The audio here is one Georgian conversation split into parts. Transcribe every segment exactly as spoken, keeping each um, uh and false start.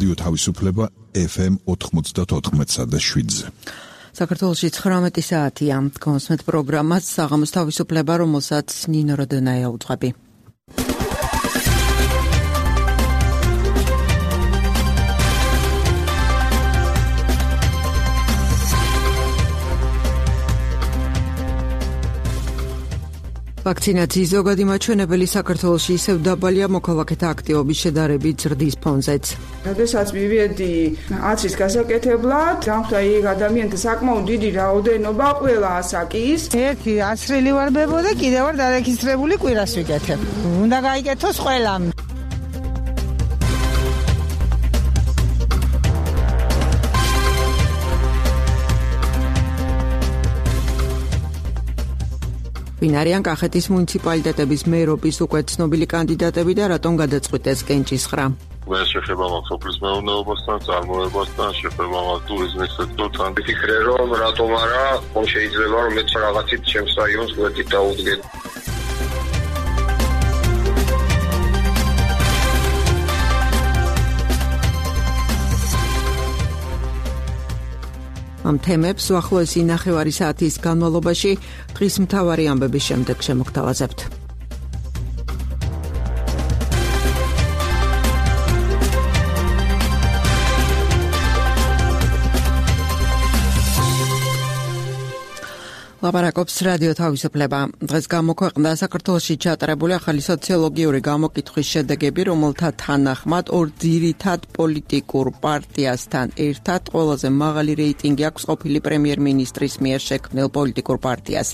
რადიო თავისუფლება ეფ ემ ოთხმოცდაოთხ და შვიდზე. საქართველოში ცხრამეტი საათია. გონსმეთ პროგრამას საღამოს თავისუფლება, რომელსაც ნინო როდენაია უძღვები. ვაქცინაციის ზოგადი მაჩვენებელი საქართველოში ისევ დაბალია მოქალაქეთა აქტივობის შედარებით ზრდის ფონზეც. როდესაც მივედი აცის გასაკეთებლად, დამხვდა იქ ადამიანთა საკმაოდ დიდი რაოდენობა, ყველა ასაკის. ერთი ასრილი ვარ ბებო და კიდევ ვარ დარეგისტრირებული კვირას ვიკეთებ. უნდა გაიკეთოს ყველამ. ვინ არიან კახეთის მუნიციპალიტეტების მერობის უკვე ცნობილი კანდიდატები და რატომ გადაწყვიტეს კენჭისხრა? მე შეხება მაქვს სოფლის მეურნეობასთან, წარმოებასთან, შეხება მაქვს ტურიზმის სექტორთან. ვიფიქრე, რომ რატომ არა, ხომ შეიძლება რომ მეც რაღაცით ჩემს რაიონს გვერდით დაუდგენ. ამ თემებს უახლოესი ნახევარი საათის განმავლობაში დღის მთავარი ამბების შემდეგ შემოგთავაზებთ. ლაპარაკობს რადიო თავისუფლება. დღეს გამოქვეყნდა საქართველოში ჩატარებული ახალი სოციოლოგიური გამოკითხვის შედეგები, რომელთა თანახმად ორ ძირითად პოლიტიკურ პარტიასთან ერთად ყველაზე მაღალი რეიტინგი აქვს ყოფილი პრემიერ-მინისტრის მიერ შექმნილ პოლიტიკურ პარტიას.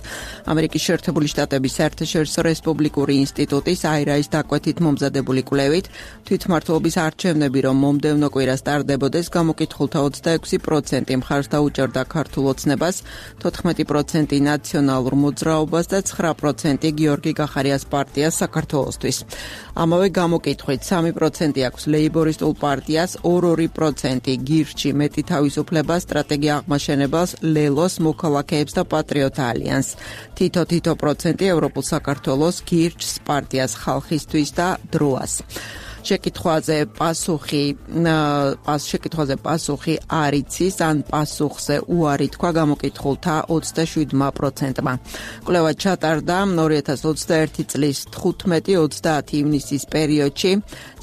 ამერიკის შეერთებული შტატების საერთაშორისო რესპუბლიკური ინსტიტუტის აირაის დაკვეთით მომზადებული კვლევით თვითმმართველობის არჩევნები, რომ მომდევნო კვირას ტარდებოდეს, გამოკითხულთა ოცდაექვსი პროცენტი მხარს დაუჭერდა ქართულ ოცნებას, თოთხმეტი პროცენტი ნაციონალურ მოძრაობას და ცხრა პროცენტი გიორგი გახარიას პარტიას საქართველოსთვის. ამავე გამოკითხვით სამი პროცენტი აქვს ლეიბორისტულ პარტიას, ორი პროცენტი გირჩი მეტი თავისუფლება სტრატეგია აღმაშენებელს, ლელოს, მოქალაქეებს და პატრიოტ ალიანსს. თითო-თითო პროცენტი ევროპულ საქართველოს, გირჩს, პარტიას ხალხისთვის და დროას. შეკითხვაზე პასუხი შეკითხვაზე პასუხი არ იცის ან პასუხზე უარი თქვა გამოკითხულთა ოცდაშვიდმა პროცენტმა. კვლევა ჩატარდა ორი ათას ოცდაერთი წლის თხუთმეტი ოცდაათი ივნისის პერიოდში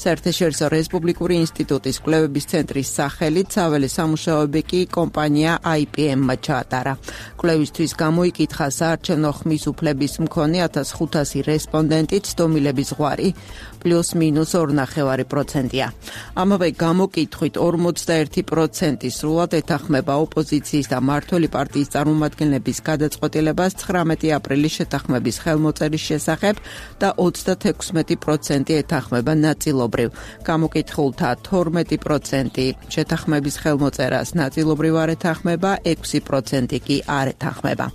საერთაშორისო რესპუბლიკური ინსტიტუტის კვლევების ცენტრის სახელით საველე სამუშაოები კი კომპანია აი პი ემ-მა ჩაატარა. კვლევისთვის გამოიკითხა საარჩევნო ხმის უფლების მქონე ათას ხუთასი რესპონდენტი, ცდომილების ზღვარი პლუს მინუს ორი ნახევარი პროცენტია. ამავე გამოკითხვით ორმოცდაერთი პროცენტი სრულად ეთანხმება ოპოზიციის და მმართველი პარტიის წარმომადგენლების გადაწყვეტილებას ცხრამეტი აპრილის შეთანხმების ხელმოწერის შესახებ და ოცდათექვსმეტი პროცენტი ეთანხმება ნაწილობრივ. გამოკითხულთა თორმეტი პროცენტი შეთანხმების ხელმოწერას ნაწილობრივ არ ეთანხმება, ექვსი პროცენტი კი არ ეთანხმება.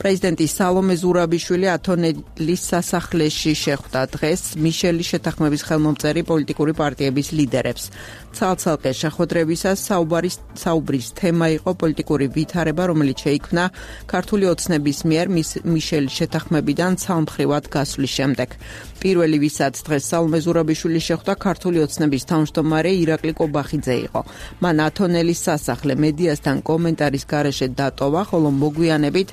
პრეზიდენტი სალომე ზურაბიშვილი ათონელის სასახლეში შეხვდა დღეს მიშელის შეთანხმების ხელმომწერი პოლიტიკური პარტიების ლიდერებს. ცალ-ცალკე შეხვედრებისას საუბრის საუბრის თემა იყო პოლიტიკური ვითარება, რომელიც შეიქმნა ქართული ოცნების მიერ მიშელის შეთანხმებიდან ცალმხრივად გასვლის შემდეგ. პირველი, ვისაც დღეს სალომე ზურაბიშვილი შეხვდა, ქართული ოცნების თავმჯდომარე ირაკლი კობახიძე იყო. მან ათონელის სასახლე მედიასთან კომენტარის გარეშე დატოვა, ხოლო მოგვიანებით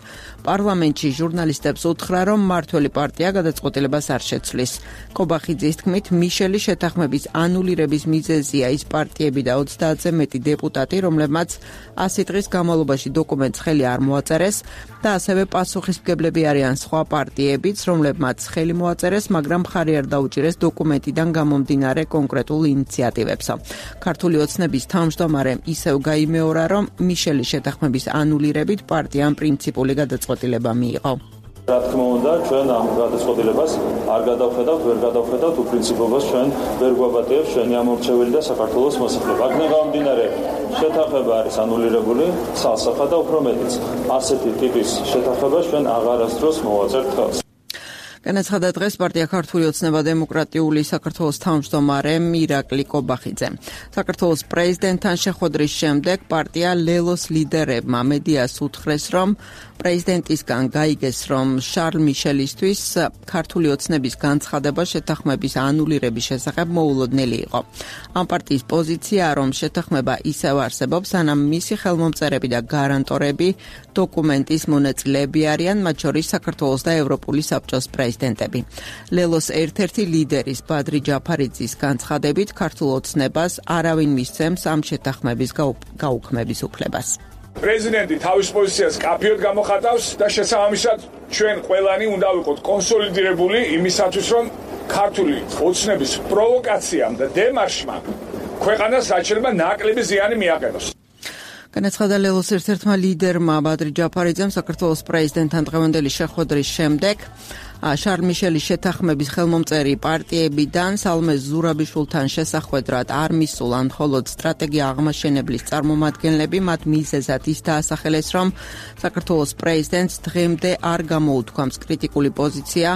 პარლამენტში ჟურნალისტებს უთხრა, რომ მმართველი პარტია გადაწყვეტილებას არ შეცვლის. კობახიძის თქმით, მიშელის შეთანხმების ანულირების მიზეზია ის პარტიები და ოცდაათზე მეტი დეპუტატი, რომლებმაც ასი დღის განმავლობაში დოკუმენტს ხელი არ მოაწერეს და ასევე პასუხისმგებლები არიან სხვა პარტიებიც, რომლებმაც ხელი მოაწერეს, მაგრამ მხარი არ დაუჭირეს დოკუმენტიდან გამომდინარე კონკრეტულ ინიციატივებსო. ქართული ოცნების თავმჯდომარემ ისევ გაიმეორა, რომ მიშელის შეთანხმების ანულირებით პარტიამ პრინციპული გადაწყვეტილება მიიღო. რა თქმა უნდა, ჩვენ ამ გადაწყვეტილებას არ გადავხედავთ, ვერ გადავხედავთ უპრინციპობას, ჩვენ ვერ გვაბატიებს ჩვენი ამორჩეველი და საქართველოს მოსახლეობა. აქ გამომდინარე, შეთანხმება არის ანულირებული, ცალსახა და უფრო მეტიც. ასეთი ტიპის შეთანხმება ჩვენ აღარასდროს მოვაწერთ ხელს. განაცხადა დღეს პარტია ქართული ოცნება დემოკრატიული საქართველოს თავმჯდომარემ ირაკლი კობახიძე. საქართველოს პრეზიდენტთან შეხვედრის შემდეგ პარტია ლელოს ლიდერებმა მედიას უთხრეს, რომ პრეზიდენტისგან გაიგეს, რომ შარლ მიშელისთვის ქართული ოცნების განცხადება შეთანხმების ანულირების შესახებ მოულოდნელი იყო. ამ პარტიის პოზიციაა, რომ შეთანხმება ისევ არსებობს, სანამ მისი ხელმომწერები და გარანტორები დოკუმენტის მონაწილეები არიან, მათ შორის საქართველოს და ევროპული საბჭოს პრეზიდენტები. ლელოს ერთ-ერთი ლიდერის ბადრი ჯაფარიძის განცხადებით, ქართულ ოცნებას არავინ მისცემს ამ შეთანხმების გაუქმების უფლებას. პრეზიდენტი თავის პოზიციას კაფიოდ გამოხატავს და შესაბამისად ჩვენ ყველანი უნდა ვიყოთ კონსოლიდირებული იმისათვის, რომ ქართული ოცნების პროვოკაციამ და დემარშმა ქვეყანას საჭიროება ნაკლები ზიანი მიაყენოს. განაცხადა ლელოს ერთ-ერთმა ლიდერმა ბადრი ჯაფარიძემ საქართველოს პრეზიდენტთან დღევანდელი შეხვედრის შემდეგ. შარლ მიშელის შეთანხმების ხელმომწერი პარტიებიდან სალმე ზურაბიშვილთან შესახვედრად არ მისულან მხოლოდ სტრატეგია აღმაშენებლის წარმომადგენლები, მათ მიზეზად ის დაასახელეს, რომ საქართველოს პრეზიდენტს დღემდე არ გამოუთქვამს კრიტიკული პოზიცია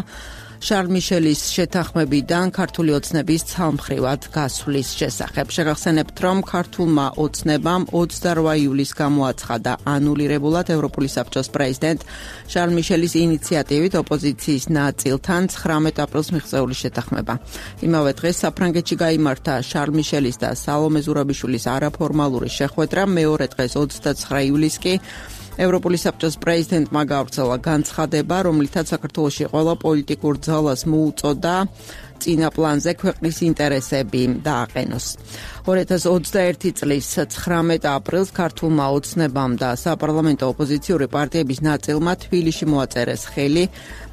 შარლ მიშელის შეთანხმებიდან ქართული ოცნების ცალმხრივად გასვლის შესახებ. შეგახსენებთ, რომ ქართულმა ოცნებამ ოცდაორ ივლისს გამოაცხადა ანულირებულად ევროპული საბჭოს პრეზიდენტ შარლ მიშელის ინიციატივით ოპოზიციის ნაწილთან ცხრამეტ აპრილს მიღწეული შეთანხმება. იმავე დღეს საფრანგეთში გაიმართა შარლ მიშელის და სალომე ზურაბიშვილის არაფორმალური შეხვედრა, მეორე დღეს ოცდაცხრა ივლისს კი ევროპული საბჭოს პრეზიდენტმა გავრცელა განცხადება, რომლითაც საქართველოში ყველა პოლიტიკურ ძალას მოუწოდა წინა პლანზე ქვეყნის ინტერესები დააყენოს. ორი ათას ოცდაერთი წლის ცხრამეტ აპრილს ქართულმა ოცნებამ და საპარლამენტო ოპოზიციური პარტიების ნაწილმა თბილისში მოაწერეს ხელი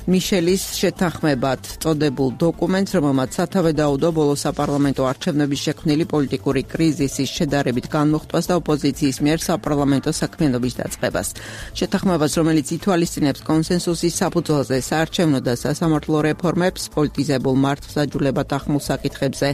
მიშელის შეთანხმებად წოდებულ დოკუმენტს, რომელმაც სათავე დაუდო ბოლო საპარლამენტო არჩევნების შექმნილი პოლიტიკური კრიზისის შედარებით განმოხტვას და ოპოზიციის მიერ საპარლამენტო საქმიანობის დაწყებას. შეთანხმებას, რომელიც ითვალისწინებს კონსენსუსის საფუძველზე საარჩევნო და სასამართლო რეფორმებს, პოლიტიზებულ მართლმსაჯულებად ახმულ საკითხებზე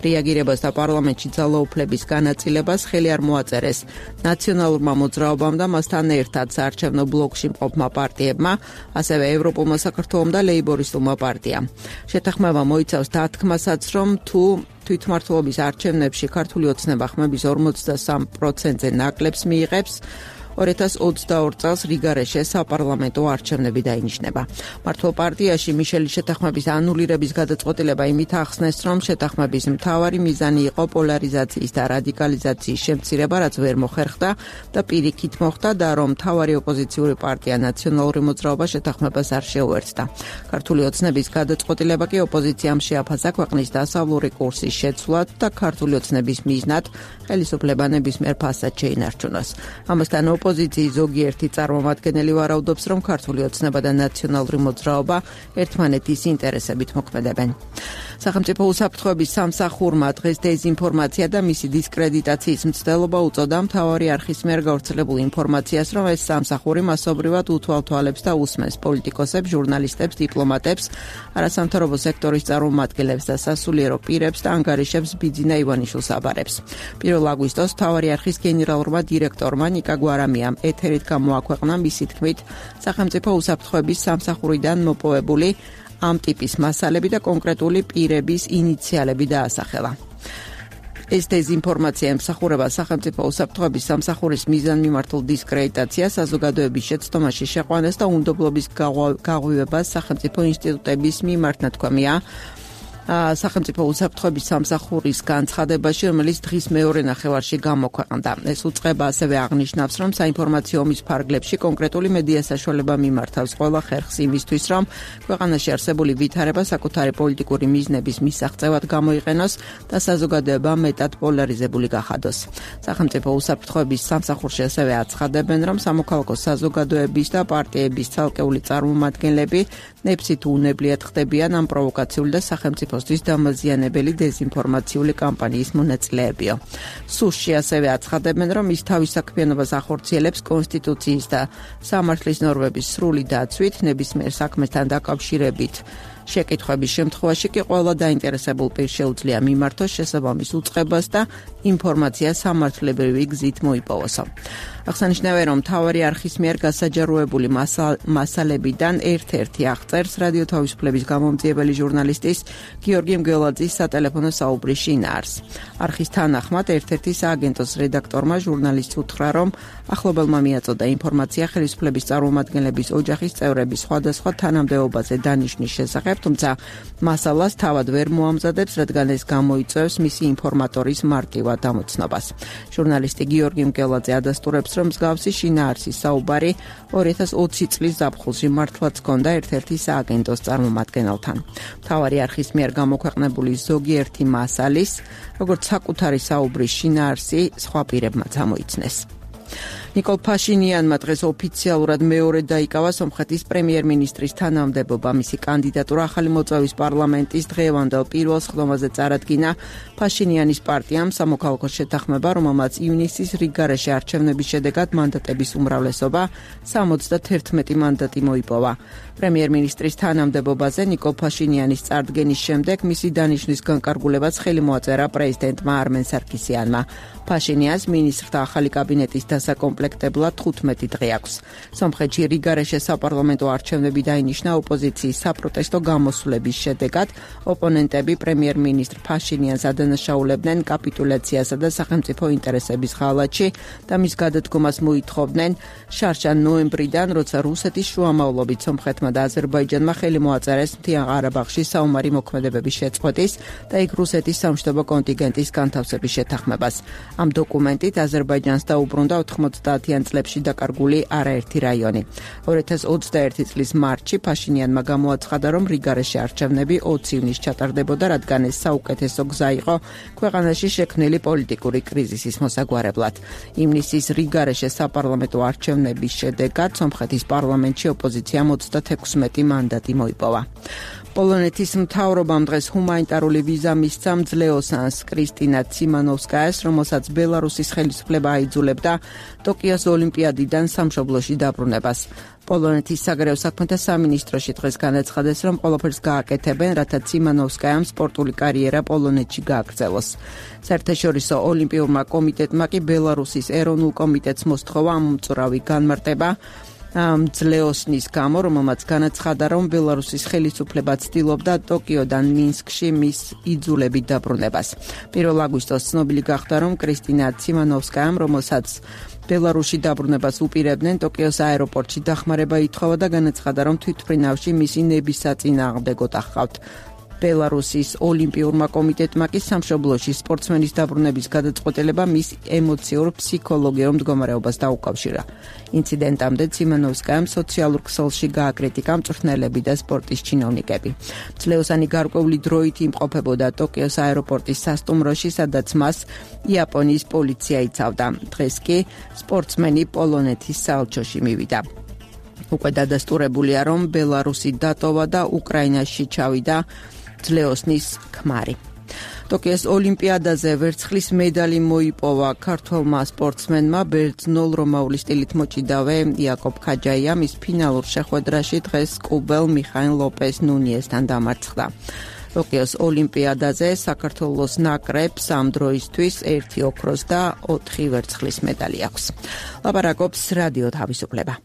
რეაგირებას და პარლამენტში ძალაუფლების განაწილებას, ხელი არ მოაწერეს ნაციონალურმა მოძრაობამ და მასთან ერთად საარჩევნო ბლოკში მყოფმა პარტიებმა, ასევე ევროპულმა საქართველომ და ლეიბორისტულმა პარტიამ. შეთანხმება მოიცავს დათქმასაც, რომ თუ თვითმმართველობის არჩევნებში ქართული ოცნება ხმების ორმოცდასამ პროცენტზე ნაკლებს მიიღებს, ორი ათას ოცდაორ წელს რიგარეშე საპარლამენტო არჩევნები დაინიშნება. მართლ პარტიაში მიშელის შეთანხმების ანულირების გადაწყვეტილება იმით ახსნეს, რომ შეთანხმების მთავარი მიზანი იყო პოლარიზაციის და რადიკალიზაციის შემცირება, რაც ვერ მოხერხდა და პირიქით მოხდა და რომ მთავარი ოპოზიციური პარტია ნაციონალური მოძრაობა შეთანხმებას არ შეუერთდა. ქართული ოცნების გადაწყვეტილება კი ოპოზიციამ შეაფასა ქვეყნის დასავლური კურსის შეცვლად და ქართული ოცნების მიზნად ხელისუფლება ნებისმიერ ფასად შეინარჩუნოს. ამასთან ოპოზიციის ზოგიერთი წარმომადგენელი ვარაუდობს, რომ ქართული ოცნება და ნაციონალური მოძრაობა ერთმანეთის ინტერესებით მოქმედებენ. სახელმწიფო უსაფრთხოების სამსახურმა დღეს დეზინფორმაცია და მისი დისკრედიტაციის მცდელობა უწოდა მთავარი არხის მიერ გავრცელებულ ინფორმაციას, რომ ეს სამსახური მასობრივად უთვალთვალებს და უსმენს პოლიტიკოსებს, ჟურნალისტებს, დიპლომატებს, არასამთავრობო სექტორის წარმომადგენლებს და სასულიერო პირებს და ანგარიშებს ბიძინა ივანიშვილს აბარებს. პირველ აგვისტოს მთავარი არხის გენერალურმა დირექტორმა ნიკა გვარამიამ ეთერით გამოაქვეყნა მისი თქმით სახელმწიფო უსაფრთხოების სამსახურიდან მოპოვებული ამ ტიპის მასალები და კონკრეტული პირების ინიციალები დაასახელა. ეს დეზინფორმაცია ემსახურება სახელმწიფო უსაფრთხოების სამსახურის მიზანმიმართულ დისკრედიტაციას, საზოგადოების შეცდომაში შეყვანას და უნდობლობის გაღვივებას სახელმწიფო ინსტიტუტების მიმართ, ნათქვამია სახელმწიფო უსაფრთხოების სამსახურის განცხადებაში, რომელიც დღის მეორე ნახევარში გამოქვეყნდა. ეს უწყება ასევე აღნიშნავს, რომ საინფორმაციო ომის ფარგლებში კონკრეტული მედია საშუალება მიმართავს ყველა ხერხს იმისთვის, რომ ქვეყანაში არსებული ვითარება საკუთარი პოლიტიკური მიზნების მისაღწევად გამოიყენოს და საზოგადოება მეტად პოლარიზებული გახადოს. სახელმწიფო უსაფრთხოების სამსახურში ასევე აცხადებენ, რომ სამოქალაქო საზოგადოების და პარტიების ცალკეული წარმომადგენლები ნებსით უნებლიად ხდებიან ამ პროვოკაციული და სახელმწიფო თვის დამაზიანებელი დეზინფორმაციული კამპანიის მონაწილეებიო. სუსში ასევე აცხადებენ, რომ ის თავის საქმიანობას ახორციელებს კონსტიტუციის და სამართლის ნორმების სრული დაცვით, ნებისმიერ საქმესთან დაკავშირებით შეკითხვების შემთხვევაში კი ყველა დაინტერესებულ პირს შეუძლია მიმართოს შესაბამის უწყებას და ინფორმაცია სამართლებრივი გზით მოიპოვოსო. აღსანიშნავია, რომ მთავარი არხის მიერ გასაჯაროებული მასალებიდან ერთ-ერთი აღწერს რადიო თავისუფლების გამომძიებელი ჟურნალისტის გიორგი მგელაძის სატელეფონო საუბრის შინაარსს. არხის თანახმად ერთ-ერთი სააგენტოს რედაქტორმა ჟურნალისტს უთხრა, რომ ახლობელმა მიაწოდა ინფორმაცია ხელისუფლების წარმომადგენლების ოჯახის წევრების სხვადასხვა თანამდებობაზე დანიშვნის შესახებ, თუმცა მასალას თავად ვერ მოამზადებს, რადგან ეს გამოიწვევს მისი ინფორმატორის მარტივად ამოცნობას. ჟურნალისტი გიორგი მგელაძე ადასტურებს, რომ მსგავსი შინაარსის საუბარი ორი ათას ოცი წლის ზაფხულში მართლაც ჰქონდა ერთ-ერთი სააგენტოს წარმომადგენელთან. მთავარი არხის მიერ გამოქვეყნებული ზოგიერთი მასალის, როგორც საკუთარი საუბრის შინაარსი, სხვა პირებმაც ამოიცნეს. ნიკოლ ფაშინიანმა დღეს ოფიციალურად მეორე დაიკავა სომხეთის პრემიერ-მინისტრის თანამდებობა. მისი კანდიდატურა ახალი მოწვევის პარლამენტის დღევანდელ პირველ სხდომაზე წარადგინა. ფაშინიანის პარტიამ სამოქალაქო შეთანხმება, რომელმაც ივნისის რიგგარეშე არჩევნების შედეგად მანდატების უმრავლესობა სამოცდაერთი მანდატი მოიპოვა. პრემიერ-მინისტრის თანამდებობაზე ნიკოლ ფაშინიანის წარდგენის შემდეგ მისი დანიშვნის განკარგულებას ხელი მოაწერა პრეზიდენტმა არმენ სარკისიანმა. ფაშინიანს მინისტრთა ახალი კაბინეტის დასაკომპლექტებლად თხუთმეტი დღე აქვს. სომხეთში რიგგარეშე საპარლამენტო არჩევნები დაინიშნა ოპოზიციის საპროტესტო გამოსვლების შედეგად. ოპონენტები პრემიერ-მინისტრ ფაშინიანს ადანაშაულებდნენ კაპიტულაციასა და სახელმწიფო ინტერესების ღალატში და მის გადადგომას მოითხოვდნენ შარშან ნოემბრიდან, როცა რუსეთის შუამავლობით სომხეთმა და აზერბაიჯანმა ხელი მოაწერეს მთიან ყარაბაღში საომარი მოქმედებების შეწყვეტის და იქ რუსეთის სამშვიდობო კონტინგენტის განთავსების შეთანხმებას. ამ დოკუმენტით აზერბაიჯანს დაუბრუნდა ოთხმოცდაათიან წლებში დაკარგული არაერთი რაიონი. ორი ათას ოცდაერთი წლის მარტში ფაშინიანმა გამოაცხადა, რომ რიგგარეშე არჩევნები ოცი ივნისს ჩატარდებოდა, რადგან ეს საუკეთესო გზა იყო ქვეყანაში შექმნილი პოლიტიკური კრიზისის მოსაგვარებლად. ივნისის რიგგარეშე საპარლამენტო არჩევნების შედეგად სომხეთის პარლამენტში ოპოზიციამ ოცდათექვსმეტი მანდატი მოიპოვა. პოლონეთის მთავრობამ დღეს ჰუმანიტარული ვიზა მისცა მძლეოსანს კრისტინა ციმანოვსკაიას, რომელსაც ბელარუსის ხელისუფლება აიძულებდა ტოკიოს ოლიმპიადიდან სამშობლოში დაბრუნებას. პოლონეთის საგარეო საქმეთა სამინისტროში დღეს განაცხადეს, რომ ყველაფერს გააკეთებენ, რათა ციმანოვსკაიამ სპორტული კარიერა პოლონეთში გააგრძელოს. საერთაშორისო ოლიმპიურმა კომიტეტმა კი ბელარუსის ეროვნულ კომიტეტს მოსთხოვა ამ უმწურავი განმარტება მძლეოსნის გამო, რომელმაც განაცხადა, რომ ბელარუსის ხელისუფლება ცდილობდა ტოკიოდან მინსკში მის იძულებით დაბრუნებას. პირველ აგვისტოს ცნობილი გახდა, რომ კრისტინა ციმანოვსკაიამ, რომელსაც ბელარუსში დაბრუნებას უპირებდნენ, ტოკიოს აეროპორტში დახმარება ითხოვა და განაცხადა, რომ თვითმფრინავში მისი ნების საწინააღმდეგოდ ახავთ. ბელარუსის ოლიმპიურმა კომიტეტმა კი სამშობლოში სპორტსმენის დაბრუნების გადაწყვეტილება მის ემოციურ ფსიქოლოგიურ მდგომარეობას დაუკავშირა. ინციდენტამდე ციმანოვსკაიამ სოციალურ ქსელში გააკრიტიკა მწვრთნელები და სპორტის ჩინოვნიკები. მძლეოსანი გარკვეული დროით იმყოფებოდა ტოკიოს აეროპორტის სასტუმროში, სადაც მას იაპონიის პოლიცია იცავდა. დღეს კი სპორტსმენი პოლონეთის საელჩოში მივიდა. უკვე დადასტურებულია, რომ ბელარუსი დატოვა და უკრაინაში ჩავიდა მძლეოსნის ქმარი. ტოკიოს ოლიმპიადაზე ვერცხლის медаლი მოიპოვა ქართველმა სპორტსმენმა ბერძნულ რომაული სტილით მოჭიდავე იაკობ ქაჯაიამ. ის ფინალურ შეხვედრაში დღეს კუბელ მიხაილ ლოპეს ნუნიესთან დამარცხდა. ტოკიოს ოლიმპიადაზე საქართველოს ნაკრებს ამ დროისთვის ერთი ოქროს და ოთხი ვერცხლის медаლი აქვს. ლაპარაკობს რადიო თავისუფლება.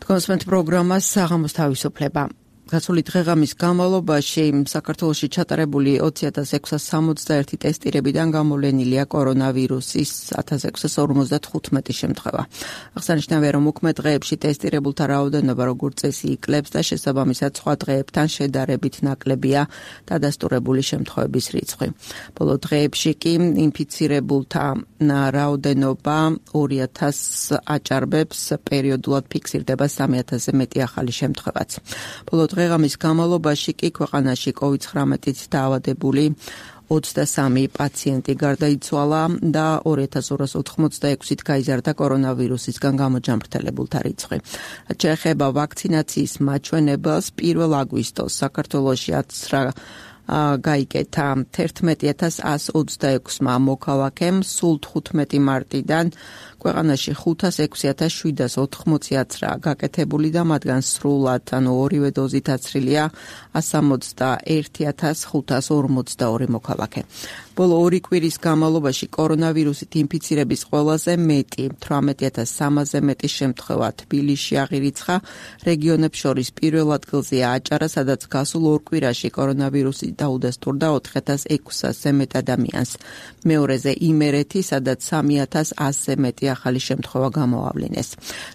კონსმენტ პროგრამას საღამოს თავისუფლება. გასული დღეღამის განმავლობაში საქართველოში ჩატარებული ოცი ათას ექვსას სამოცდაერთი ტესტირებიდან გამოვლენილია კორონავირუსის ათას ექვსას ორმოცდათხუთმეტი შემთხვევა. აღსანიშნავია, რომ უქმე დღეებში ტესტირებულთა რაოდენობა როგორც წესი იკლებს და შესაბამისად სხვა დღეებთან შედარებით ნაკლებია დადასტურებული შემთხვევების რიცხვი. ბოლო დღეებში კი ინფიცირებულთა რაოდენობა ორი ათას აჭარბებს, პერიოდულად ფიქსირდება სამი ათასზე მეტი ახალი შემთხვევაც. ბოლო დღეღამის განმავლობაში კი ქვეყანაში კოვიდ ცხრამეტით დაავადებული ოცდასამი პაციენტი გარდაიცვალა და ორი ათას ორას ოთხმოცდაექვსით გაიზარდა კორონავირუსისგან გამოჯამრთელებულთა რიცხვი. რაც შეეხება ვაქცინაციის მაჩვენებელს, პირველ აგვისტოს საქართველოში აცრა გაიკეთა თერთმეტი ათას ათს ოცდაექვსმა მოქალაქემ სულ თხუთმეტი მარტიდან ქვეყანაში ხუთას ექვსი ათას შვიდას ოთხმოცი აცრა გაკეთებული და მათგან სრულად ანუ ორივე დოზით აცრილია სამოცდაერთი ათას ხუთას ორმოცდაორი მოქალაქე. ბოლო ორი კვირის განმავლობაში კორონავირუსით ინფიცირების ყველაზე მეტი თვრამეტი ათას სამასზე მეტი შემთხვევა თბილისში აღირიცხა. რეგიონებს შორის პირველ ადგილზეა აჭარა, სადაც გასულ ორ კვირაში კორონავირუსი დაუდასტურდა ოთხ ათას ექვსასზე მეტ ადამიანს. მეორეზე იმერეთი, სადაც სამი ათას ასზე მეტი ახალი შემთხვევა გამოავლინეს.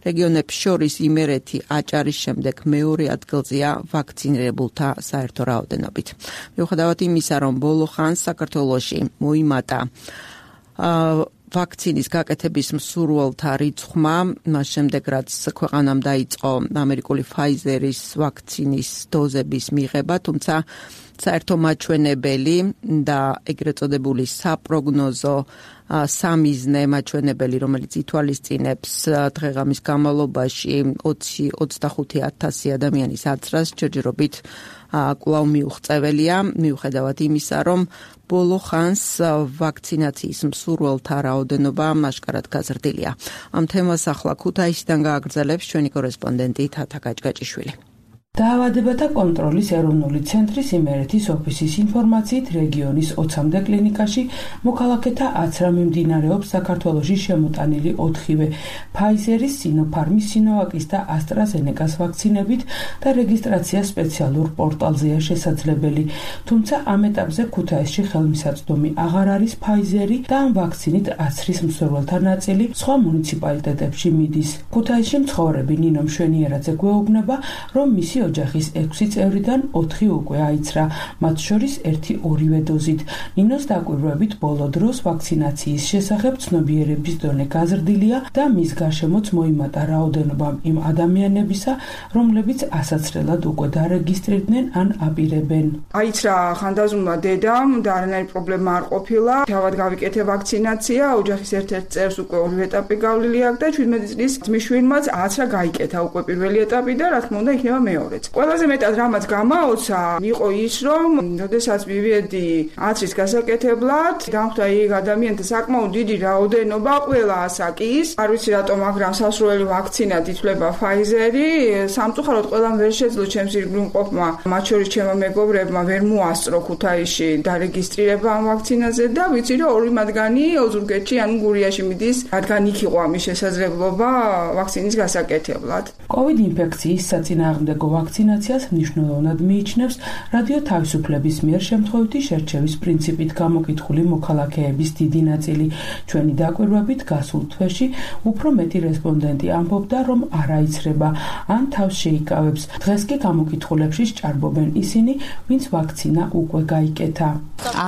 რეგიონებს შორის იმერეთი აჭარის შემდეგ მეორე ადგილზეა ვაქცინირებულთა საერთო რაოდენობით. მიუხედავად იმისა, რომ ბოლო ხანს საქართველოში მოიმატა ვაქცინის გაკეთების მსურველთა რიცხვმა, მას შემდეგ რაც ქვეყანამ დაიწყო ამერიკული Pfizer-ის ვაქცინის დოზების მიღება, თუმცა საერთო მაჩვენებელი და ეგრეთ წოდებული საპროგნოზო სამიზნე მაჩვენებელი, რომელიც ითვალისწინებს დღე-ღამის განმავლობაში ოცი ოცდახუთი ათასი ადამიანის აცრას, ჯერჯერობით კვლავ მიუღწეველია, მიუხედავად იმისა, რომ ბოლო ხანს ვაქცინაციის მსურველთა რაოდენობა აშკარად გაზრდილია. ამ თემას ახლა ქუთაისიდან გააგრძელებს ჩვენი კორესპონდენტი თათა გაჭგაჭიშვილი. დაავადებათა კონტროლის ეროვნული ცენტრის იმერეთის ოფისის ინფორმაციით, რეგიონის ოცამდე კლინიკაში მოქალაქეთა აცრა მიმდინარეობს საქართველოში შემოტანილი ოთხივე Pfizer-ის, Sinopharm-ის, Sinovac-ის და AstraZeneca-s ვაქცინებით და რეგისტრაცია სპეციალურ პორტალზეა შესაძლებელი. თუმცა ამ ეტაპზე ქუთაისში ხელმისაწვდომი აღარ არის Pfizer-ი და ამ ვაქცინით აცრის მსურველთა ნაწილი სხვა მუნიციპალიტეტებში მიდის. ქუთაისში მცხოვრები ნინო მშვენიერაძე გვეუბნება, რომ მისი ოჯახის ექვსი წევრიდან ოთხი უკვე აიცრა, მათ შორის ერთი ორივე დოზით. ნინოს დაკვირვებით ბოლო დროს ვაქცინაციის შესახებ ცნობიერების დონე გაზრდილია და მის გარშემოც მოიმატა რაოდენობა იმ ადამიანებისა, რომლებიც ასაცრელად უკვე დარეგისტრირდნენ ან აპირებენ. აიცრა ხანდაზმულმა დედამ და არანაირი პრობლემა არ ყოფილა. თავად გავიკეთე ვაქცინაცია, ოჯახის ერთ-ერთ წევრს უკვე ორივე ეტაპი გავლილი აქვს და ჩვიდმეტი წლის ძმისშვილმაც აცრა გაიკეთა უკვე პირველი ეტაპი და რა თქმა უნდა იქნება მეორე. ყველაზე მეტად რამაც გამაოცა იყო ის, რომ როდესაც მივედი აცრის გასაკეთებლად, დამხვდა იქ ადამიანთა საკმაოდ დიდი რაოდენობა, ყველა ასაკის. არ ვიცი რატომ, მაგრამ სასურველი ვაქცინად ითვლება Pfizer-ი. სამწუხაროდ ყველამ ვერ შეძლო ჩემს ირგვლივმყოფმა, მათ შორის ჩემმა მეგობრებმა ვერ მოასწრო ქუთაისში დარეგისტრირება ამ ვაქცინაზე და ვიცი, რომ ორი მათგანი ოზურგეთში, ანუ გურიაში მიდის, რადგან იქ იყო ამის შესაძლებლობა ვაქცინის გასაკეთებლად. COVID ინფექციის საწინააღმდეგო ვაქცინაციას მნიშვნელოვნად მიიჩნევს რადიო თავისუფლების მიერ შემთხვევითი შერჩევის პრინციპით გამოკითხული მოქალაქეების დიდი ნაწილი. ჩვენი დაკვირვებით გასულ თვეში უფრო მეტი რესპონდენტი ამბობდა, რომ არ აიცრება ან თავს შეიკავებს. დღეს კი გამოკითხულებში სჭარბობენ ისინი, ვინც ვაქცინა უკვე გაიკეთა.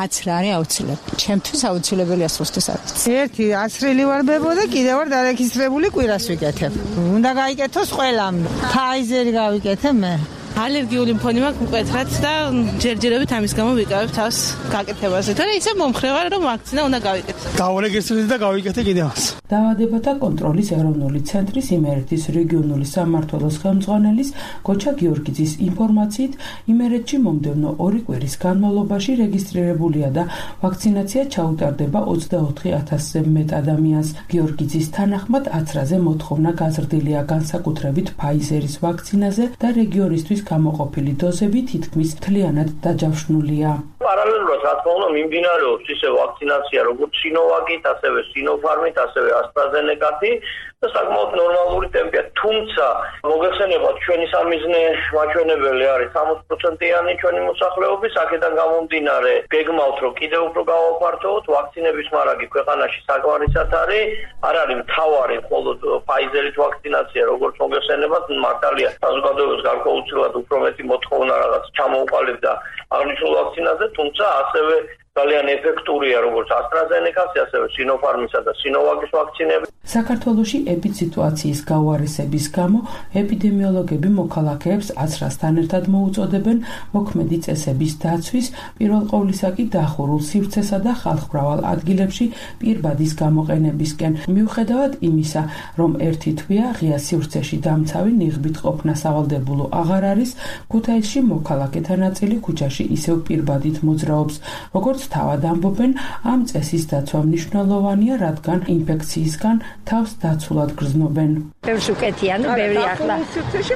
აცრა არის აუცილებელი. ჩემთვის აუცილებელია სულ-სულ აცრა. ერთი აცრილი ვარ ბებო და კიდევ ვარ დარეგისტრირებული, კვირას ვიკეთებ. უნდა გაიკეთოს ყველამ. Pfizer-ი გავიკეთე მე. ალერგიული მქონი მაქვს მკვეთრად და ჯერჯერობით ამის გამო ვიკავებ თავს გაკეთებაზე. თორე ისე მომხრევა, რომ ვაქცინა უნდა გავიკეთო. გავარეგისტრირდი და გავიკეთე კიდევაც. დაავადებათა კონტროლის ეროვნული ცენტრის იმერეთის რეგიონული სამმართველოს ხელმძღვანელის გოჩა გიორგიძის ინფორმაციით, იმერეთში მომდევნო ორი კვირის განმავლობაში რეგისტრირებულია და ვაქცინაცია ჩაუტარდება ოცდაოთხი ათასზე მეტ ადამიანს. გიორგიძის თანახმად, აცრაზე მოთხოვნა გაზრდილია განსაკუთრებით Pfizer-ის ვაქცინაზე და რეგიონისთვის გამოყოფილი დოზები თითქმის მთლიანად დაჯავშნულია. პარალელურად რა თქმა უნდა მიმდინარეობს ისე ვაქცინაცია როგორც Sinovac-ით, ასევე Sinopharm-ით, ასევე AstraZeneca-ით და საკმაოდ ნორმალური ტემპია. თუმცა მოგეხსენებათ, ჩვენი სამიზნე მაჩვენებელი არის სამოცი პროცენტიანი ჩვენი მოსახლეობის, აქედან გამომდინარე გეგმავთ, რომ კიდევ უფრო გავაფართოვოთ ვაქცინების მარაგი ქვეყანაში საკმარისად არის, არ არის მთავარი მხოლოდ Pfizer-ით ვაქცინაცია, როგორც მოგეხსენებათ, მართალია საზოგადოებას გარკვეულწილად უფრო მეტი მოთხოვნა რაღაც ჩამოუყალიბდა აღნიშნულ ვაქცინაზე, თუმცა ასევე ძალიან ეფექტურია როგორც AstraZeneca-ს, ასევე Sinopharm-ისა და Sinovac-ის ვაქცინები. საქართველოში ეპიდსიტუაციის გაუარესების გამო ეპიდემიოლოგები მოქალაქეებს აცრასთან ერთად მოუწოდებენ მოქმედი წესების დაცვის, პირველ ყოვლისა კი დახურულ სივრცესა და ხალხმრავალ ადგილებში პირბადის გამოყენებისკენ. მიუხედავად იმისა, რომ ერთი თვეა ღია სივრცეში დამცავი ნიღბით ყოფნა სავალდებულო აღარ არის, ქუთაისში მოქალაქეთა ნაწილი ქუჩაში ისევ პირბადით მოძრაობს. როგორც თავად ამბობენ, ამ წესის დაცვა მნიშვნელოვანია, რადგან ინფექციისგან თავს დაცულად გრძნობენ. ბევრს უკეთია, ნუ ბევრი ახლა.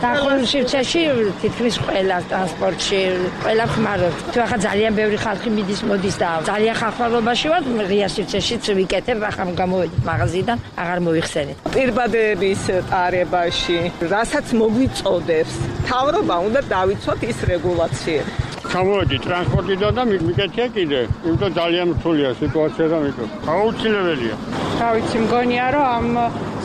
დახურულ სივრცეში თითქმის ყველა ტრანსპორტში, ყველა ხმარობს. თუ ახლა ძალიან ბევრი ხალხი მიდის, მოდის და ძალიან ხალხმრავლობაში ვარ, ღია სივრცეშიც ვიკეთებ, ახლა გამოვედით მაღაზიიდან, აღარ მოიხსენით. პირბადების ტარებაში, რასაც მოგვიწოდებს, მთავრობა უნდა დავიცვათ ის რეგულაციები. ჩამოვედი ტრანსპორტიდან და მიკეთია კიდე, იმიტომ ძალიან რთულია სიტუაცია და მიკრო. აუცილებელია. რა ვიცი, მგონია რომ ამ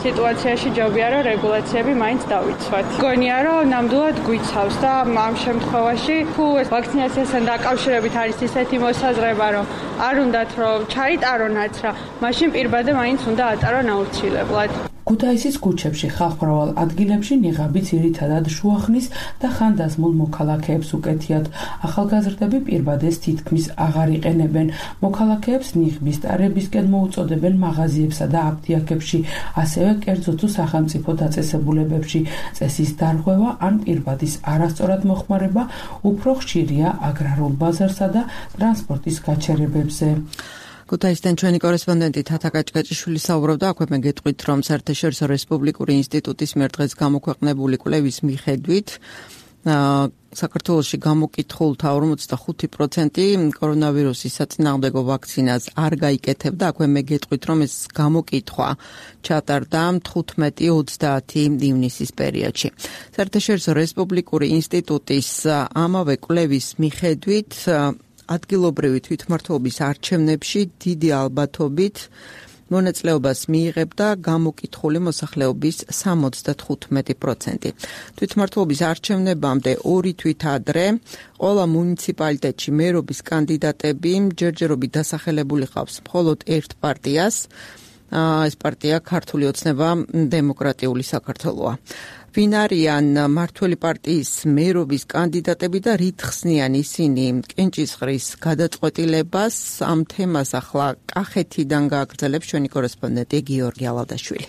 სიტუაციაში ჯობია რომ რეგულაციები მაინც დავიცვათ. მგონია რომ ნამდვილად გვიცავს და ამ შემთხვევაში თუ ეს ვაქცინაციასთან დაკავშირებით არის ისეთი მოსაზრება რომ არ უნდათ რომ ჩაიტარონ აცრა, მაშინ პირბადე მაინც უნდა ატარონ აუცილებლად. ქუთაისის ქუჩებში ხალხმრავალ ადგილებში ნიღაბი ძირითადად შუახნის და ხანდაზმულ მოქალაქეებს უკეთიათ. ახალგაზრდები პირბადეს თითქმის აღარ იყენებენ. მოქალაქეებს ნიღბის ტარებისკენ მოუწოდებენ მაღაზიებსა და აფთიაქებში, ასევე კერძო თუ სახელმწიფო დაწესებულებებში. წესის დარღვევა ან პირბადის არასწორად მოხმარება უფრო ხშირია აგრარულ ბაზარსა და ტრანსპორტის გაჩერებებზე. ქუთაისიდან ჩვენი კორესპონდენტი თათა კაჭკაჭიშვილი საუბრობდა, აქვე მე გეტყვით, რომ საერთაშორისო რესპუბლიკური ინსტიტუტის მიერ დღეს გამოქვეყნებული კვლევის მიხედვით საქართველოში გამოკითხულთა ორმოცდახუთი პროცენტი კორონავირუსის საწინააღმდეგო ვაქცინას არ გაიკეთებდა. აქვე მე გეტყვით, რომ ეს გამოკითხვა ჩატარდა თხუთმეტი ოცდაათი ივნისის პერიოდში. საერთაშორისო რესპუბლიკური ინსტიტუტის ამავე კვლევის მიხედვით ადგილობრივი თვითმმართველობის არჩევნებში დიდი ალბათობით მონაწილეობას მიიღებდა გამოკითხული მოსახლეობის სამოცდათხუთმეტი პროცენტი. თვითმმართველობის არჩევნებამდე ორი თვით ადრე ყველა მუნიციპალიტეტში მერობის კანდიდატები ჯერჯერობით დასახელებული ყავს მხოლოდ ერთ პარტიას. ეს პარტია ქართული ოცნება დემოკრატიული საქართველოა. ვინ არიან მართველი პარტიის მერობის კანდიდატები და რით ხსნიან ისინი კენჭისყრის გადაწყვეტილებას? ამ თემას ახლა კახეთიდან გააგრძელებს ჩვენი კორესპონდენტი გიორგი ალადაშვილი.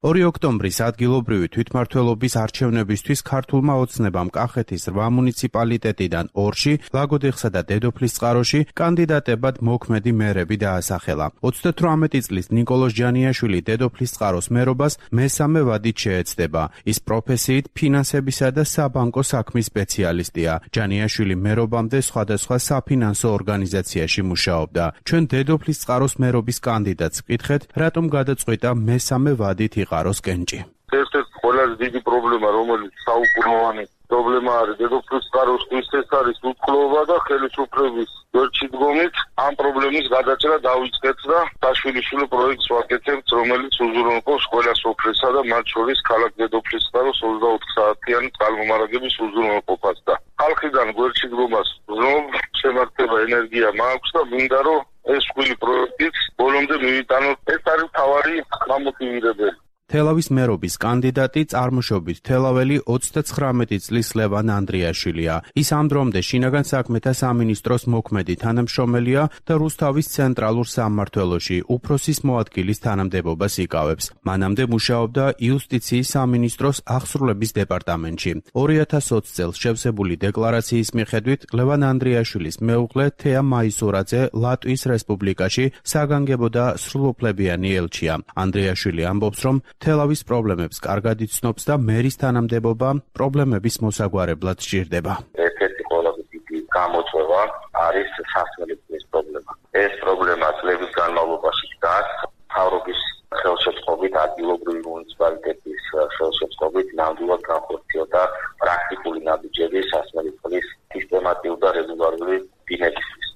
ორი ოქტომბრის ადგილობრივი თვითმმართველობის არჩევნებისთვის ქართულმა ოცნებამ კახეთის რვა მუნიციპალიტეტიდან ორში, ლაგოდეხსა და დედოფლისწყაროში კანდიდატებად მოქმედი მერები დაასახელა. ოცდათვრამეტი წლის ნიკოლოზ ჯანიაშვილი დედოფლისწყაროს მერობას მესამე ვადით შეეცდება. ის პროფესიით ფინანსებისა და საბანკო საქმის სპეციალისტია. ჯანიაშვილი მერობამდე სხვადასხვა საფინანსო ორგანიზაციაში მუშაობდა. ჩვენ დედოფლისწყაროს მერობის კანდიდატს ვკითხეთ, რატომ გადაწყვიტა მესამე ვადით იყაროს კენჭი. ერთ-ერთი ყველაზე დიდი პრობლემა, რომელიც საუკუნოვანი პრობლემა არის დედოფლისწყაროსთვის, ეს არის უთკლოება და ხელისუფლების გვერდში დგომით. ამ პრობლემის გადაჭრა დავიწყეთ და საშვილიშვილო პროექტს ვაკეთებთ, რომელიც უზრუნველყოფს ყველა სოფლისა და მათ შორის ქალაქ დედოფლისწყაროს ოცდაოთხ საათიანი წყალმომარაგების უზრუნველყოფას და ხალხიდან გვერდში დგომას ვზნობ, შემართება ენერგია მაქვს და მინდა რომ ეს ხვილი პროექტიც ბოლომდე მივიტანოთ. ეს არის მთავარი გამოტივირებელი. თელავის მერობის კანდიდატი წარმოშობით თელაველი ოცდაცხრამეტი წლის ლევან ანდრიაშვილია. ის ამ დრომდე შინაგან საქმეთა სამინისტროს მოქმედი თანამშრომელია და რუსთავის ცენტრალურ სამმართველოში უფროსის მოადგილის თანამდებობას იკავებს. მანამდე მუშაობდა იუსტიციის სამინისტროს აღსრულების დეპარტამენტში. ორი ათას ოცი წელს შევსებული დეკლარაციის მიხედვით ლევან ანდრიაშვილის მეუღლე თეა მაისურაძე ლატვიის რესპუბლიკაში საგანგებო და სრულუფლებიანი ელჩია. ანდრიაშვილი ამბობს, რომ თელავის პრობლემებს კარგად იცნობს და მერის თანამდებობა პრობლემების მოსაგვარებლად სჭირდება. ერთ-ერთი ყველაზე დიდი გამოწვევა არის სასმელების პრობლემა. ეს პრობლემა წლების განმავლობაში დგას მთავრობის ხელშეწყობით, ადგილობრივი მუნიციპალიტეტის ხელშეწყობით ნამდვილად განხორციელდა პრაქტიკული ნაბიჯები სასმელის სისტემატიური და რეგულარული დინებისთვის.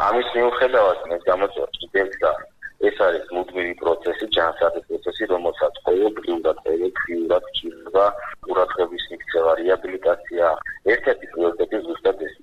ამის მიუხედავად ეს გამოწვევა კიდევდა ეს არის მუდმივი პროცესი, ჯანსაღი პროცესი, რომელსაც ყოველდღიურად, ყოველდღიურად ჭირდება ყურადღების მიქცევა, რეაბილიტაცია. ერთ-ერთი პრიორიტეტი ზუსტად ეს.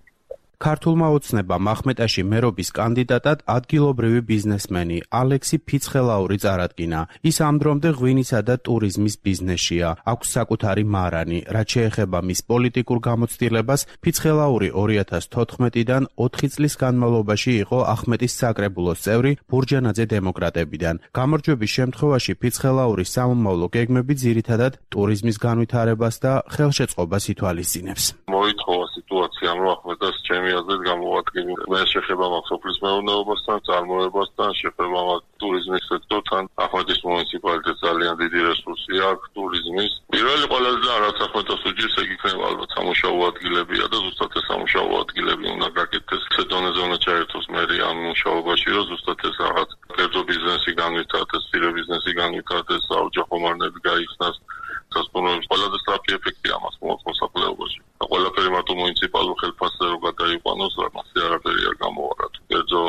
ქართულმა ოცნებამ ახმეტაში მერობის კანდიდატად ადგილობრივი ბიზნესმენი ალექსი ფიცხელაური წარადგინა. ის ამ დრომდე ღვინისა და ტურიზმის ბიზნესშია. აქვს საკუთარი მარანი. რაც შეეხება მის პოლიტიკურ გამოცდილებას, ფიცხელაური ორი ათას თოთხმეტიდან ოთხი წლის განმავლობაში იყო ახმეტის საკრებულოს წევრი ბურჯანაძე დემოკრატებიდან. გამარჯვების შემთხვევაში ფიცხელაურის სამომავლო გეგმები ძირითადად ტურიზმის განვითარებას და ხელშეწყობას ითვალისწინებს. მოითხოვა სიტუაციამ, რომ ახმეტას ჩემი აზრით გამოვადგინე. მე შეხება მაქვს სოფლის მეურნეობასთან, წარმოებასთან, შეხება მაქვს ტურიზმის სექტორთან. ახმეტის მუნიციპალიტეტს ძალიან დიდი რესურსი აქვს ტურიზმის. პირველი ყველაზე და რაც ახმეტას უჭირს, ეგ იქნება ალბათ სამუშაო ადგილებია და ზუსტად ეს სამუშაო ადგილები უნდა გაკეთდეს. ეს დონეზე უნდა ჩაერთოს მერი ამ მუშაობაში, რომ ზუსტად ეს რაღაც კერძო ბიზნესი განვითარდეს, სირე ბიზნესი განვითარდეს, საოჯახო მარნები გაიხსნას. სასწავლოების ყველაზე სწრაფი ეფექტი ამას მოაქვს მოსახლეობაში. და ყველაფერი მარტო მუნიციპალურ ხელფასზე რო გადაიყვანოს, რამასე არაფერი არ გამოვარა. კერძო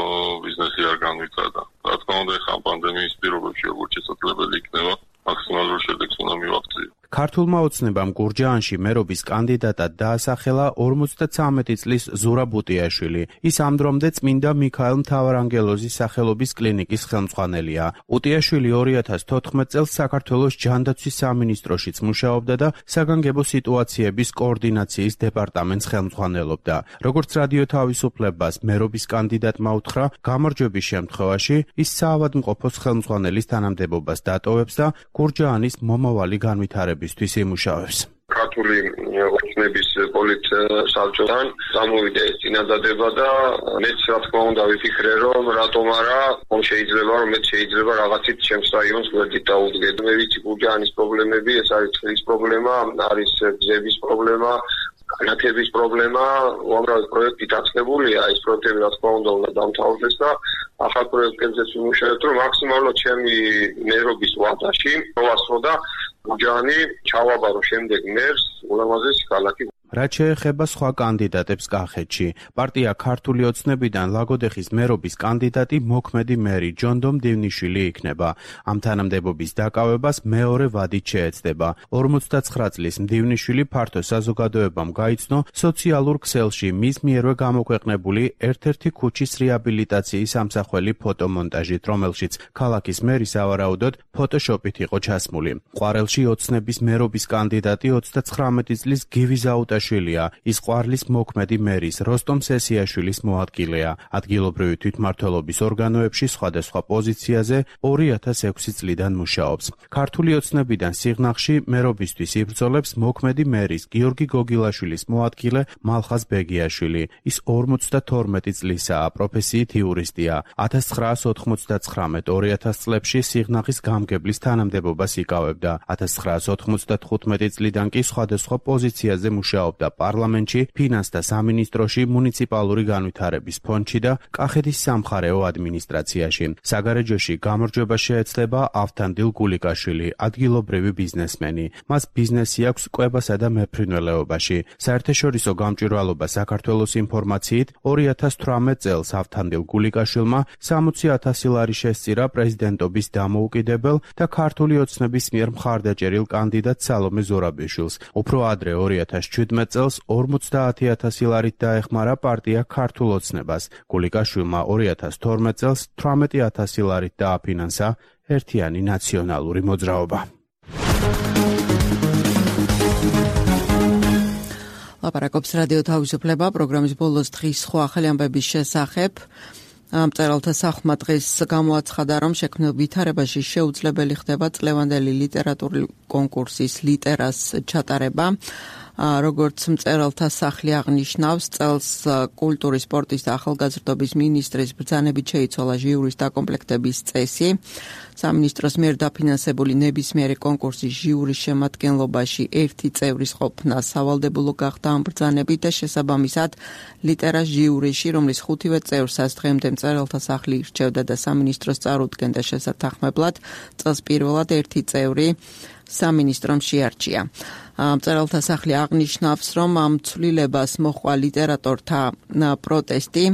ბიზნესი არ განვითარდა. რა თქმა უნდა, ხან პანდემიის პირობებში როგორც შესაძლებელი იქნება, მაქსიმალურ შედეგს უნდა მივაღწიო. ქართულმა ოცნებამ გურჯაანში მერობის კანდიდატად დაასახელა ორმოცდათვრამეტი წლის ზურაბ უტიაშვილი. ის ამ დრომდე წმინდა მიქაელ მთავარანგელოზის სახელობის კლინიკის ხელმძღვანელია. უტიაშვილი ორი ათას თოთხმეტ წელს საქართველოს ჯანდაცვის სამინისტროშიც მუშაობდა და საგანგებო სიტუაციების კოორდინაციის დეპარტამენტს ხელმძღვანელობდა. როგორც რადიო თავისუფლებას მერობის კანდიდატმა უთხრა, გამარჯვების შემთხვევაში ის საავადმყოფოს ხელმძღვანელის თანამდებობას დატოვებს და გურჯაანის მომავალი განვითარების იმუშავებს. ქართული ოცნების პოლიტსაბჭოთან გამოვიდა ეს წინადადება და მეც რა თქმა უნდა ვიფიქრე, რომ რატომ არა, ხომ შეიძლება რომ მეც შეიძლება რაღაცით ჩემს რაიონს გვერდით დაუდგეთ. მე ვიცი გურჯაანის პრობლემები, ეს არის წყლის პრობლემა, არის გზების პრობლემა, განათების პრობლემა, უამრავი პროექტი დაწყებულია, ეს პროექტები რა თქმა უნდა უნდა დამთავრდეს და ახალ პროექტებზეც ვიმუშავებთ, რომ მაქსიმალურად ჩემი მერობის ვადაში მოვასწრო და გურჯაანი ჩავაბარო შემდეგ მერს ულამაზესი ქალაქი. რაც შეეხება სხვა კანდიდატებს კახეთში, პარტია ქართული ოცნებიდან ლაგოდეხის მერობის კანდიდატი მოქმედი მერი ჯონდომ დივნიშვილი იქნება. ამ თანამდებობის დაკავებას მეორე ვადით შეეცდება. ორმოცდაცხრა წლის მდივნიშვილი ფართო საზოგადოებამ გაიცნო სოციალურ ქსელში მის მიერვე გამოქვეყნებული ერთ-ერთი ქუჩის რეაბილიტაციის ამსახველი ფოტომონტაჟით, რომელშიც ქალაქის მერი სავარაუდოდ ფოტოშოპით იყო ჩასმული. ყვარელში ოცნების მერობის კანდიდატი ოცდათვრამეტი წლის გივი ზაუტაშვილია. ის ყვარლის მოქმედი მერის როსტომ სესიაშვილის მოადგილეა. ადგილობრივი თვითმმართველობის ორგანოებში სხვადასხვა პოზიციაზე ორი ათას ექვსი წლიდან მუშაობს. ქართული ოცნებიდან სიღნაღში მერობისთვის იბრძოლებს მოქმედი მერის გიორგი გოგილაშვილის მოადგილე მალხაზ ბეგიაშვილი. ის ორმოცდათორმეტი წლისაა, პროფესიით იურისტია. ათას ცხრაას ოთხმოცდათხრამეტ ორი ათას წლებში სიღნაღის გამგებლის თანამდებობას იკავებდა. ათას ცხრაას ოთხმოცდათხუთმეტი წლიდან კი სხვადასხვა პოზიციაზე მუშაობს. პარლამენტში, ფინანსთა სამინისტროში, მუნიციპალური განვითარების ფონდში და კახეთის სამხარეო ადმინისტრაციაში. საგარეჯოში გამარჯვება შეეცდება ავთანდილ გულიკაშვილი, ადგილობრივი ბიზნესმენი. მას ბიზნესი აქვს კვებასა და მეფრინველეობაში. საერთაშორისო გამჭვირვალობა საქართველოს ინფორმაციით ორი ათას თვრამეტ წელს ავთანდილ გულიკაშვილმა სამოცი ათასი ლარი შესწირა პრეზიდენტობის დამოუკიდებელ და ქართული ოცნების მიერ მხარდაჭერილ კანდიდატ სალომე ზურაბიშვილს. უფრო ადრე ორი ათას შვიდმეტ წელს ორმოცდაათი ათასი ლარით დაეხმარა პარტია ქართულ ოცნებას. გულიკაშვილმა ორი ათას თორმეტ წელს თვრამეტი ათასი ლარით დააფინანსა ერთიანი ნაციონალური მოძრაობა. ლაპარაკობს რადიო თავისუფლება, პროგრამის ბოლოს დღის სხვა ახალი ამბების შესახებ. მწერალთა სახმა დღეს გამოაცხადა, რომ შექმნილ ვითარებაში შეუძლებელი ხდება წლევანდელი ლიტერატურული კონკურსის ლიტერას ჩატარება. როგორც მწერალთა სახლი აღნიშნავს, წელს კულტურის, სპორტის და ახალგაზრდობის მინისტრის ბრძანებით შეიცვალა ჟიურის დაკომპლექტების წესი. სამინისტროს მიერ დაფინანსებული ნებისმიერი კონკურსის ჟიურის შემადგენლობაში ერთი წევრის ყოფნა სავალდებულო გახდა ამ ბრძანებით და შესაბამისად ლიტერას ჟიურიში, რომლის ხუთივე წევრსაც დღემდე მწერალთა სახლი ირჩევდა და სამინისტროს წარუდგენდა შესათანხმებლად, წელს პირველად ერთი წევრი სამინისტრომ შეარჩია. მწერალთა სახლი აღნიშნავს, რომ ამ ცვლილებას მოჰყვა ლიტერატორთა პროტესტი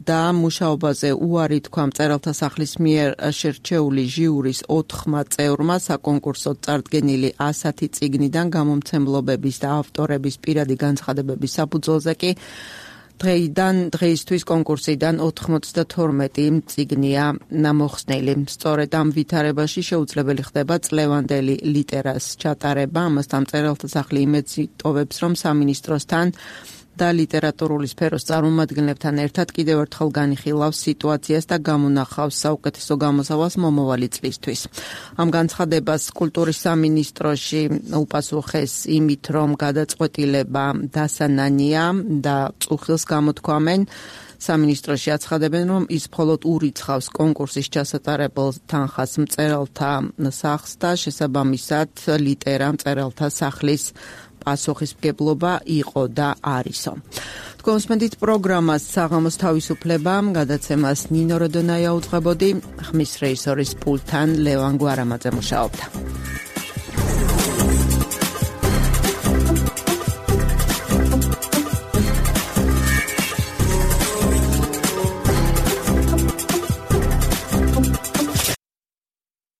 და მუშაობაზე უარი თქვა მწერალთა სახლის მიერ შერჩეული ჟიურის ოთხმა წევრმა საკონკურსო წარდგენილი ასათი წიგნიდან გამომცემლობების და ავტორების პირადი განცხადებების საფუძველზე კი დღეიდან დღეისთვის კონკურსიდან ოთხმოცდათორმეტი წიგნია მოხსნილი. სწორედ ამ ვითარებაში შეუძლებელი ხდება წლევანდელი ლიტერას ჩატარება. ამასთან მწერალთა სახლი იმედს იტოვებს, რომ სამინისტროსთან და ლიტერატურული სფეროს წარმომადგენლებთან ერთად კიდევ ერთხელ განიხილავს სიტუაციას და გამონახავს საუკეთესო გამოსავალს მომავალი წლისთვის. ამ განცხადებას კულტურის სამინისტროში უპასუხეს იმით, რომ გადაწყვეტილება დასანანია და წუხილს გამოთქვამენ. სამინისტროში აცხადებენ, რომ ის მხოლოდ ურიცხავს კონკურსის ჩასატარებელ თანხას მწერალთა სახლს და შესაბამისად ლიტერა მწერალთა სახლის პასუხისმგებლობა იყო და არისო. თქვენსმენდით პროგრამას საღამოს თავისუფლება, გადაცემას ნინო როდონაია უძღვებოდი, ხმის რეჟისორის პულტთან ლევან გვარამაძე მუშაობდა.